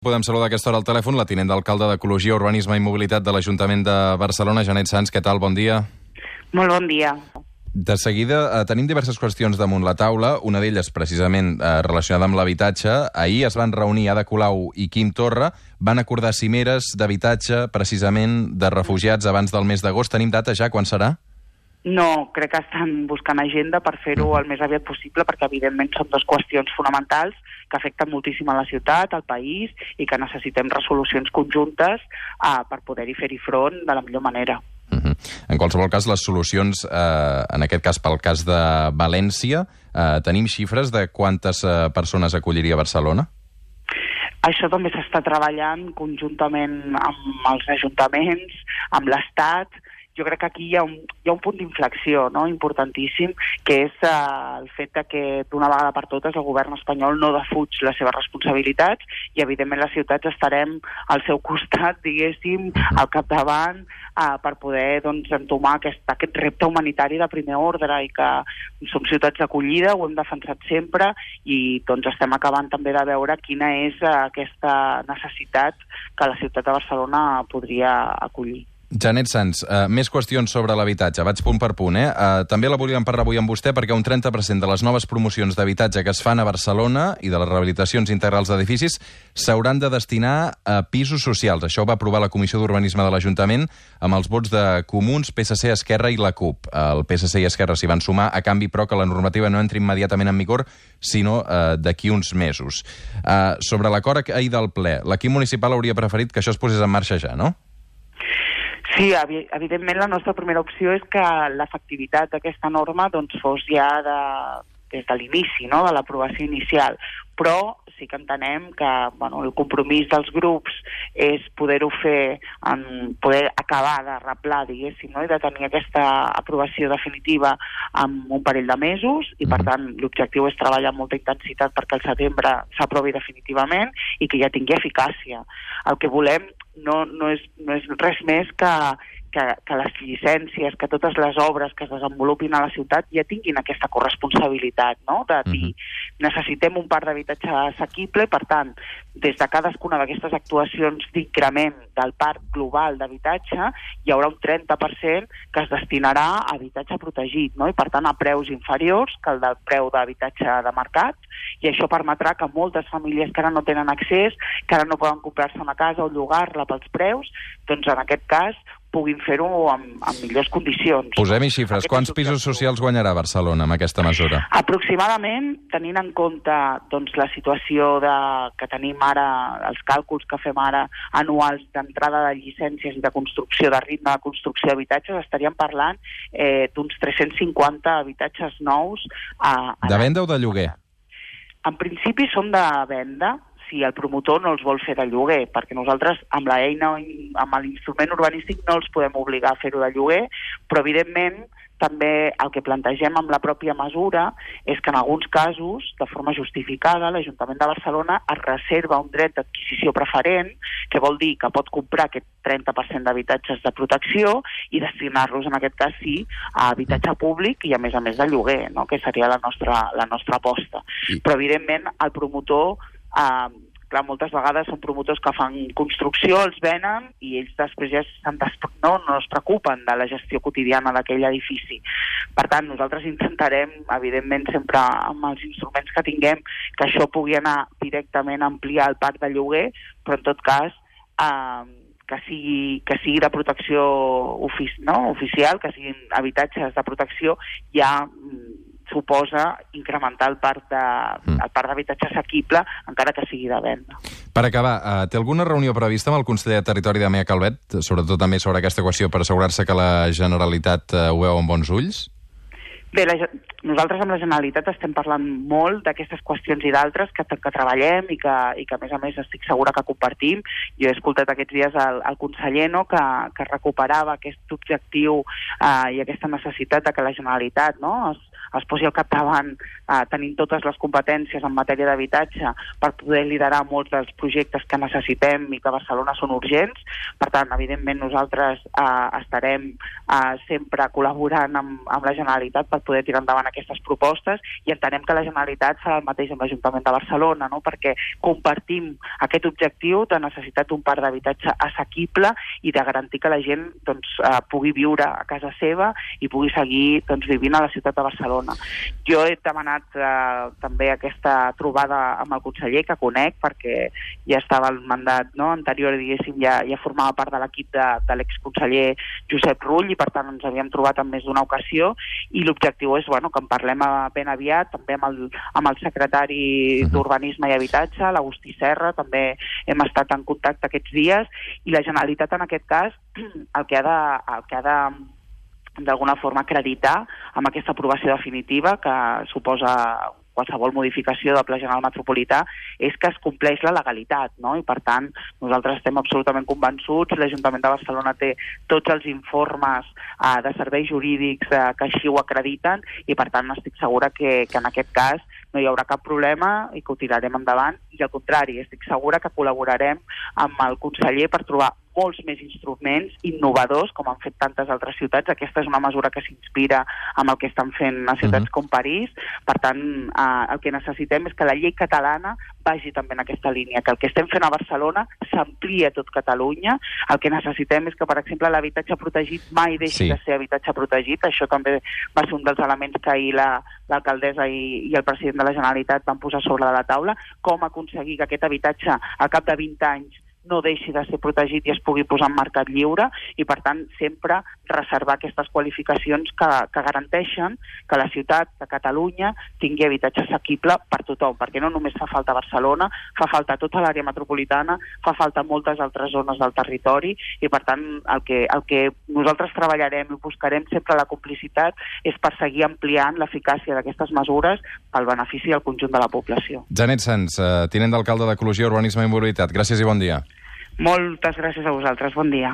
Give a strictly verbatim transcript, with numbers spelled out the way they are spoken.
Podem saludar a aquesta hora al telèfon la tinent d'alcalde d'Ecologia, Urbanisme i Mobilitat de l'Ajuntament de Barcelona, Janet Sans. Què tal? Bon dia. Molt bon dia. De seguida, eh, tenim diverses qüestions damunt la taula, una d'elles precisament eh, relacionada amb l'habitatge. Ahir es van reunir Ada Colau i Quim Torra, van acordar cimeres d'habitatge precisament de refugiats abans del mes d'agost. Tenim data ja? Quan serà? No, crec que estan buscant agenda per fer-ho el més aviat possible, perquè evidentment són dues qüestions fonamentals que afecten moltíssim a la ciutat, al país, i que necessitem resolucions conjuntes uh, per poder-hi fer-hi front de la millor manera. Uh-huh. En qualsevol cas, les solucions, eh, en aquest cas pel cas de València, eh, tenim xifres de quantes eh, persones acolliria Barcelona? Això també s'està treballant conjuntament amb els ajuntaments, amb l'Estat. Jo crec que aquí hi ha un, hi ha un punt d'inflexió, no?, importantíssim, que és uh, el fet de que d'una vegada per totes el govern espanyol no defuig les seves responsabilitats i evidentment les ciutats estarem al seu costat, diguéssim, al capdavant, uh, per poder doncs, entomar aquest, aquest repte humanitari de primer ordre, i que som ciutats d'acollida, ho hem defensat sempre, i doncs estem acabant també de veure quina és uh, aquesta necessitat que la ciutat de Barcelona podria acollir. Janet Sans, uh, més qüestions sobre l'habitatge. Vaig punt per punt, eh? Uh, també la volíem parlar avui amb vostè perquè un trenta per cent de les noves promocions d'habitatge que es fan a Barcelona i de les rehabilitacions integrals d'edificis s'hauran de destinar a pisos socials. Això ho va aprovar la Comissió d'Urbanisme de l'Ajuntament amb els vots de Comuns, P S C, Esquerra i la CUP. El P S C i Esquerra s'hi van sumar, a canvi, però, que la normativa no entri immediatament en vigor, sinó uh, d'aquí uns mesos. Uh, sobre l'acord ahir del ple, l'equip municipal hauria preferit que això es posés en marxa ja, no? Sí, evidentment la nostra primera opció és que l'efectivitat d'aquesta norma doncs, fos ja de, des de l'inici, no?, de l'aprovació inicial. Però sí que entenem que bueno, el compromís dels grups és poder-ho fer, en poder acabar de replar, diguéssim, no?, i de tenir aquesta aprovació definitiva en un parell de mesos, i per tant l'objectiu és treballar amb molta intensitat perquè al setembre s'aprovi definitivament i que ja tingui eficàcia. El que volem no, no, és, no és res més que, que, que les llicències, que totes les obres que es desenvolupin a la ciutat ja tinguin aquesta corresponsabilitat, no?, de dir, necessitem un parc d'habitatge assequible, per tant, des de cadascuna d'aquestes actuacions d'increment del parc global d'habitatge hi haurà un trenta per cent que es destinarà a habitatge protegit, no?, i per tant a preus inferiors que el del preu d'habitatge de mercat, i això permetrà que moltes famílies que ara no tenen accés, que ara no poden comprar-se una casa o llogar-la pels preus, doncs en aquest cas puguin fer-ho amb, amb millors condicions. Posem-hi xifres. Quants pisos socials guanyarà Barcelona amb aquesta mesura? Aproximadament, tenint en compte doncs, la situació de, que tenim ara, els càlculs que fem ara anuals d'entrada de llicències i de construcció, de ritme de construcció d'habitatges, estaríem parlant eh, d'uns tres-cents cinquanta habitatges nous. A, a de venda o de lloguer? En principi són de venda, si el promotor no els vol fer de lloguer, perquè nosaltres amb l'eina, amb l'instrument urbanístic no els podem obligar a fer-ho de lloguer, però evidentment també el que plantegem amb la pròpia mesura és que en alguns casos, de forma justificada, l'Ajuntament de Barcelona es reserva un dret d'adquisició preferent, que vol dir que pot comprar aquest trenta per cent d'habitatges de protecció i destinar-los, en aquest cas sí, a habitatge públic i a més a més de lloguer, no?, que seria la nostra, la nostra aposta. Però evidentment el promotor... Eh, clar, moltes vegades són promotors que fan construcció, els venen i ells després ja no, no es preocupen de la gestió quotidiana d'aquell edifici. Per tant, nosaltres intentarem, evidentment, sempre amb els instruments que tinguem, que això pugui anar directament a ampliar el parc de lloguer, però en tot cas eh, que, sigui, que sigui de protecció ofici, no? oficial, que siguin habitatges de protecció ja suposa incrementar el parc de, el parc d'habitatge assequible, encara que sigui de venda. Per acabar, eh, té alguna reunió prevista amb el conseller de Territori, Damià Calvet, sobretot també sobre aquesta qüestió, per assegurar-se que la Generalitat eh, ho veu amb bons ulls? Bé, la, nosaltres amb la Generalitat estem parlant molt d'aquestes qüestions i d'altres que, que treballem i que, i que, a més a més, estic segura que compartim. Jo he escoltat aquests dies el, el conseller, no?, que, que recuperava aquest objectiu eh, i aquesta necessitat de que la Generalitat, no?, es, es posi al capdavant eh, tenint totes les competències en matèria d'habitatge per poder liderar molts dels projectes que necessitem i que a Barcelona són urgents. Per tant, evidentment, nosaltres eh, estarem eh, sempre col·laborant amb, amb la Generalitat per poder tirar endavant aquestes propostes i entenem que la Generalitat farà el mateix amb l'Ajuntament de Barcelona, no? Perquè compartim aquest objectiu de necessitat d'un parc d'habitatge assequible i de garantir que la gent doncs, eh, pugui viure a casa seva i pugui seguir doncs, vivint a la ciutat de Barcelona. Jo he demanat eh, també aquesta trobada amb el conseller, que conec, perquè ja estava el mandat no, anterior, diguéssim, ja, ja formava part de l'equip de, de l'exconseller Josep Rull i per tant ens havíem trobat en més d'una ocasió i l'objectiu és bueno, que en parlem ben aviat, també amb el, amb el secretari d'Urbanisme i Habitatge, l'Agustí Serra, també hem estat en contacte aquests dies i la Generalitat en aquest cas el que ha de, el que ha de d'alguna forma acreditar amb aquesta aprovació definitiva que suposa qualsevol modificació del Pla General Metropolità és que es compleix la legalitat, no? I per tant nosaltres estem absolutament convençuts, l'Ajuntament de Barcelona té tots els informes eh, de serveis jurídics eh, que així ho acrediten i per tant estic segura que, que en aquest cas no hi haurà cap problema i que ho tirarem endavant i al contrari, estic segura que col·laborarem amb el conseller per trobar molts més instruments innovadors, com han fet tantes altres ciutats. Aquesta és una mesura que s'inspira amb el que estan fent a ciutats uh-huh. com París. Per tant, eh, el que necessitem és que la llei catalana vagi també en aquesta línia, que el que estem fent a Barcelona s'amplia a tot Catalunya. El que necessitem és que, per exemple, l'habitatge protegit mai deixi sí. de ser habitatge protegit. Això també va ser un dels elements que ahir la, l'alcaldessa i, i el president de la Generalitat van posar sobre de la taula, com aconseguir que aquest habitatge, al cap de vint anys, no deixi de ser protegit i es pugui posar en mercat lliure i, per tant, sempre reservar aquestes qualificacions que, que garanteixen que la ciutat, que Catalunya, tingui habitatge assequible per tothom, perquè no només fa falta a Barcelona, fa falta a tota l'àrea metropolitana, fa falta a moltes altres zones del territori i, per tant, el que, el que nosaltres treballarem i buscarem sempre la complicitat és per seguir ampliant l'eficàcia d'aquestes mesures pel benefici del conjunt de la població. Janet Sans, eh, tinent d'alcalde d'Ecologia, Urbanisme i Mobilitat. Gràcies i bon dia. Moltes gràcies a vosaltres. Bon dia.